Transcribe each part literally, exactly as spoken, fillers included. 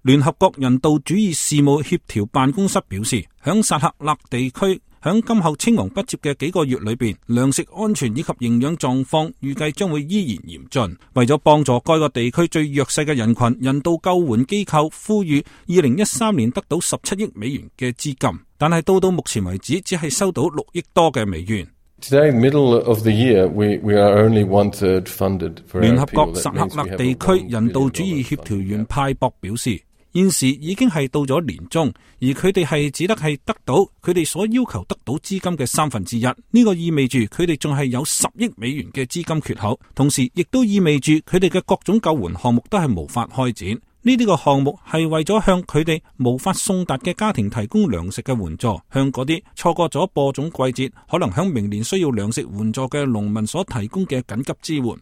聯合國人道主義事務協調辦公室表示，響薩赫勒地區響今後青黃不接嘅幾個月裏邊，糧食安全以及營養狀況預計將會依然嚴峻。為咗幫助該個地區最弱勢嘅人群，人道救援機構呼籲二零一三年得到十七億美元嘅資金，但係到到目前為止只係收到六億多嘅美元。Today, middle of the year, we, we are only one third funded for our people. 聯合國薩赫勒地區人道主義協調員派博表示，現時已經係到咗年中，而佢哋係只得係得到佢哋所要求得到資金嘅三分之一。呢個意味住佢哋仲係有十億美元嘅資金缺口，同時亦都意味住佢哋嘅各種救援項目都係無法開展。呢啲個項目係為咗向佢哋無法送達嘅家庭提供糧食嘅援助，向嗰啲錯過咗播種季節，可能響明年需要糧食援助嘅農民所提供嘅緊急支援。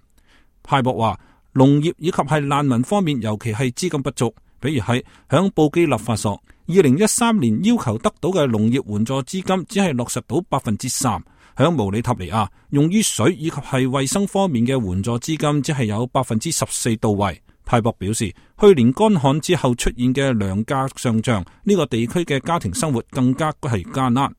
派博話，農業以及係難民方面，尤其係資金不足。比如係響布基納法索，二零一三年要求得到嘅農業援助資金只係落實到百分之三；響毛里塔尼亞，用於水以及係衛生方面嘅援助資金只係有百分之十四到位。派博表示，去年乾旱之後出現嘅糧價上漲，呢個地區嘅家庭生活更加係艱難。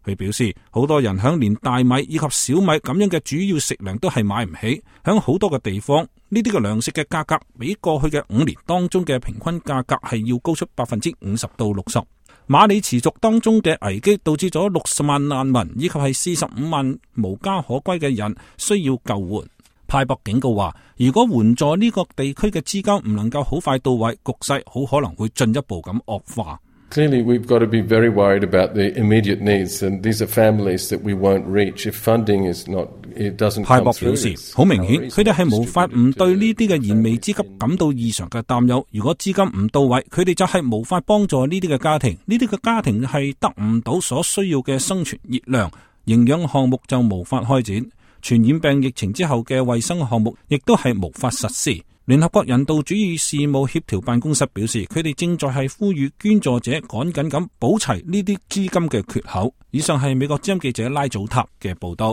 佢表示，好多人響連大米以及小米咁樣嘅主要食糧都係買唔起，響好多嘅地方，呢啲嘅糧食嘅價格比過去嘅五年當中嘅平均價格係要高出百分之五十到六十。馬里持續當中嘅危機導致咗六十萬難民以及係四十五萬無家可歸嘅人需要救援。派博警告話，如果援助呢個地區嘅資金唔能夠好快到位，局勢好可能會進一步咁惡化。Clearly, we've got to be very worried about the immediate needs, and these are families that we won't reach if funding is not, it doesn't come through. 派博表示，好明顯，佢哋係無法唔對呢啲嘅燃眉之急感到異常嘅擔憂。如果資金唔到位，佢哋就係無法幫助呢啲嘅家庭，呢啲嘅家庭係得唔到所需要嘅生存熱量，營養項目就無法開展。傳染病疫情之後嘅衛生項目亦都係無法實施。聯合國人道主義事務協調辦公室表示，佢哋正在係呼籲捐助者趕緊咁補齊呢啲資金嘅缺口。以上係美國之音記者拉祖塔嘅報道。